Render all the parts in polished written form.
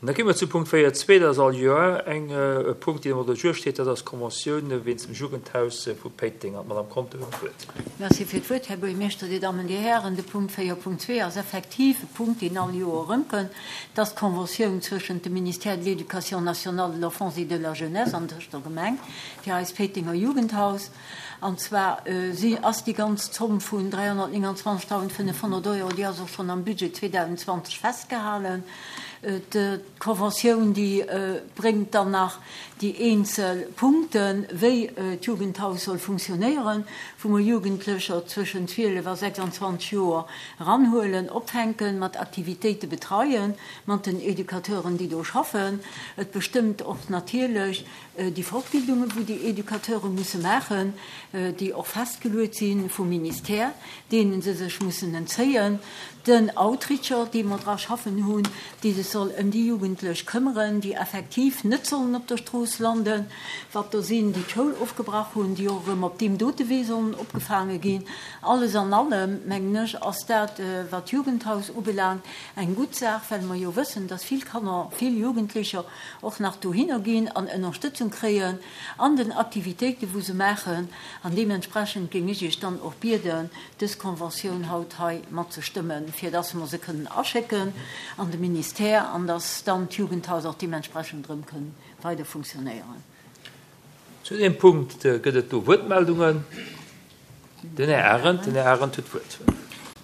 An da gi mer zu Punkt 4.2, dat ass all Joer eng e Punkt, deen um Ordre du jour steet, dat ass d'Konventioun wéinst dem Jugendhaus vu Péiteng. An d'Madame Conter huet d'Wuert. Merci fir d'Wuert, Här Buergermeeschter, Dir Dammen, Dir Hären. De Punkt 4.2 ass effektiv e Punkt, deen all Joer erëmkënnt. Dat ass d'Konventioun zwëschent dem Ministère de l'Éducation nationale, de l'Enfance et de la Jeunesse an tëscht der Gemeng fir eist Péitenger Jugendhaus. An zwar si ass déi ganz Zomm vun 329.500 Euro, déi ass och schonn am Budget 2020 festgehalen. D'Conventioun, déi bréngt dann nach déi eenzel Punkten, wéi d'Jugendhaus soll funktionéieren, wou mer Jugendlecher zwëschen 12 a 26 Joer eranhuelen, opfänken, mat Aktivitéite betreien, mat den Educateuren, déi do schaffen. Et bestëmmt och natierlech Déi Fortbildungen, wou déi Educateure musse maachen, déi och festgeluet si vum Ministère, deene se sech mussen entzéien, den Outreacher, dee mer dra schaffen hunn, dee sech soll ëm déi Jugendlech këmmeren, déi effektiv net sollen op der Strooss landen, wat der sinn, déi d'Schoul ofgebrach hunn, déi och erëm op deem dote Wee sollen opgefaange ginn. Alles an allem, mengen ech, ass dat, wat d'Jugendhaus ubelaangt, eng gutt Saach, well mer jo wëssen, dass vill Kanner, vill Jugendlecher och nach dohinner ginn an Ënnerstëtzung kréien an den Aktivitéiten, wou se maachen. An deementsprechend géing ech Iech dann och bieden, dës Conventioun haut hei matzestëmmen, fir dass mer se kënnen aschécken an de Ministère an dass dann d'Jugendhaus och deementsprechend erëm kënn weider funktionéieren. Zu deem Punkt gëtt et do Wuertmeldungen. Den Här Arendt, den Här Arendt huet d'Wuert.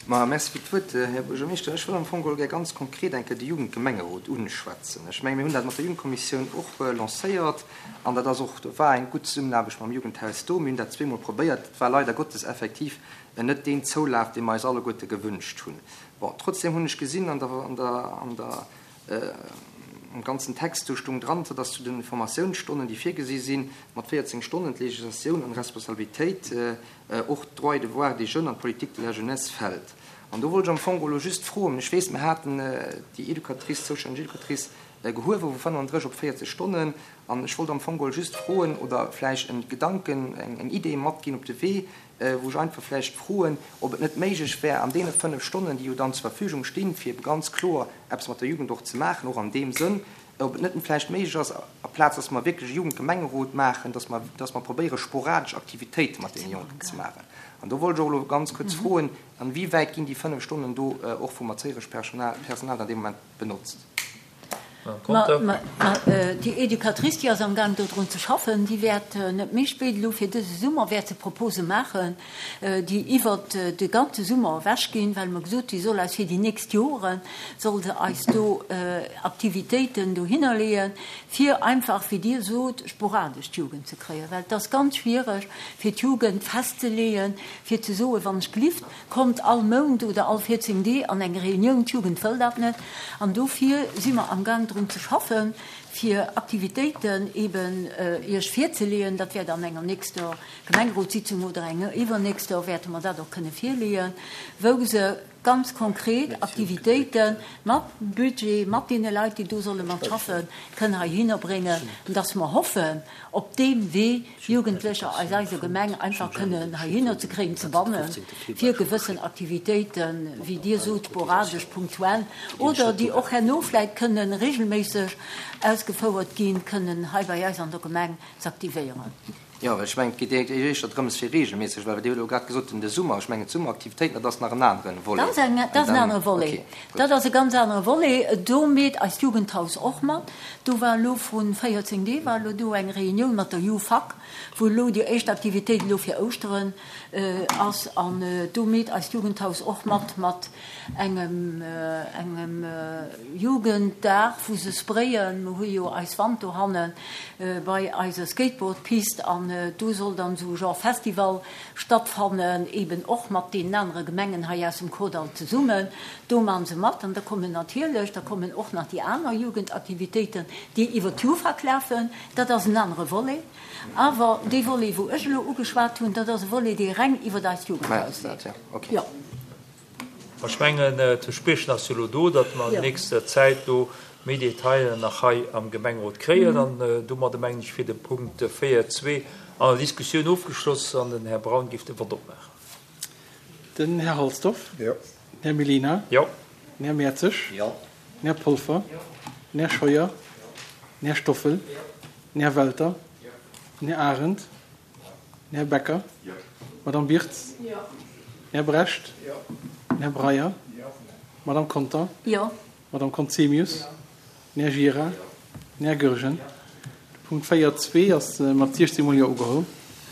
Ma merci fir d'Wuert, Här Buergermeeschter. Ech wëll am Fong geholl gär ganz konkret eng Kéier de Jugendgemengerot unschwätzen. Ech menge mir hunn dat mat der Jugendkommissioun och lancéiert an dat ass och, do war eng gutt Zesummenaarbecht mam Jugendhaus do. Mir hunn dat zweemol probéiert. Et war leider Gottes effektiv net deen Zoulaf, dee mer eis alleguerte gewünscht hunn. Bon, trotzdem hunn ech gesinn an der, an der, an der, Am ganzen Text do stung dran, dass zu den Formatiounsstonnen, déi virgesi sinn, mat 14 Stonnen, d'Législatioun an Responsabilitéit och d'Droits et devoirs des jeunes an d'Politique de la jeunesse fält. An do wollt ech am Fong elo just froen, ech weess, mir haten déi Educatrice, zoustänneg Educatrice gehuewe vu 35 op 40 Stonnen, an ech wollt am Fong geholl just froen oder vläicht e Gedanken, eng Idee matginn op de Wee, wou ech einfach vläicht froen, ob et net méiglech wär, an deene 5 Stonnen, déi jo dann zur Verfügung stinn, fir ebe ganz kloer eppes mat der Jugend och ze maachen, och an deem Sënn, ob et net vläicht méiglech ass, aplaz dass mer wierklech e Jugendgemengerot maachen, dass mer, dass mer probéiere sporadesch Aktivitéite mat deene Jonken ze maachen. An do wollt ech och elo ganz kuerz froen, Inwiewäit ginn déi 5 Stonnen do och vum erzéieresch Personal dann dee Moment benotzt? Ma déi Educatrice, déi ass amgaang dodrun ze schaffen, déi wäert net méi spéit elo fir dëse Summer wäert se Propose maachen, déi iwwert de ganze Summer ewech ginn, well mer gesot, déi soll eis fir déi nächst Jore soll se eis do Aktivitéiten dohinner leeën, fir einfach, wéi Dir sot, sporadesch d'Jugend ze kréien, well et ass ganz schwiereg fir d'Jugend festzeleeën, fir ze soen, wann ech gelift, Kommt all Mount oder all 14 Dee an eng Reunioun, d'Jugend wëll dat net. An dofir si mer amgaang drun ze schaffen, fir Aktivitéiten eben Iech virzeleeën. Dat wäert an enger nächster Gemengerotssitzung oder enger iwwernächster wäerte mer dat och kënne virleeën, wou se ganz konkret Aktivitéite mat Budget, mat deene Leit, déi do solle mat schaffen, kënn heihinner bréngen, dass mer hoffen, op deem Wee Jugendlecher aus eiser Gemeng einfach kënnen heihinner ze kréien, ze bannen, fir gewëssen Aktivitéiten, wéi Dir sot, sporadesch, punktuell, oder déi och herno vläicht kënnen regelméisseg ausgefouert ginn, kënnen hei bei eis an der Gemeng z'aktivéieren. Jo, well ech mengen, et geet éischter drëms, fir regelméisseg, well Dir hutt elo grad gesot, de Summer, ech mengen, d'Summeraktivitéiten, dat ass nach en anere Volet. Dat ass en anere Volet. Dat ass e ganz anere Volet. Do meet eist Jugendhaus och mat. Do war elo vrun 14 Dee war elo do eng Reunioun mat der Jufac, wou elo déi éischt Aktivitéit elo fir Ouschteren ass. An do meet eist Jugendhaus och mat, mat engem engem Jugenddag, wou se sprayen. Mer hu jo eis Wand dohanne bei eiser Skateboardpist an do soll dann esou e Genre Festival stattfannen, eben och mat deenen anere Gemengen hei aus dem Kordall zesummen. Do maachen se mat an da kommen natierlech, da kommen och nach déi aner Jugendaktivitéiten, déi iwwert d'Jufac lafen. Dat ass en anere Volet. Awer dee Volet, wou ech elo ugeschwat hunn, dat ass e Volet, dee reng iwwert eist Jugendhaus leeft. Jo. Ech mengen, d'Verspriechen ass jo elo do, datt mer an nächster Zäit do méi Detailen nach hei am Gemengerot kréien. An domadde mengen ech wier de Punkt 4.2 an der Diskussioun ofgeschloss an den Här Braun géif de Vott opmaachen. Den Här Halsdorf. Jo. Den Här Mellina. Jo. Den Här Mertzig. Jo. Den Här Polfer. Jo. Den Här Scheuer. Den Här Stoffel. Den Här Welter. Den Här Arendt. Den Här Becker. D'Madame Birtz. Den Här Brecht. Den Här Breyer. D'Madame Conter. D'Madame Conzemius. Den Här Gira. Den Här Goergen. De Punkt 4, zwee ass mat 16 mol Jo ugeholl.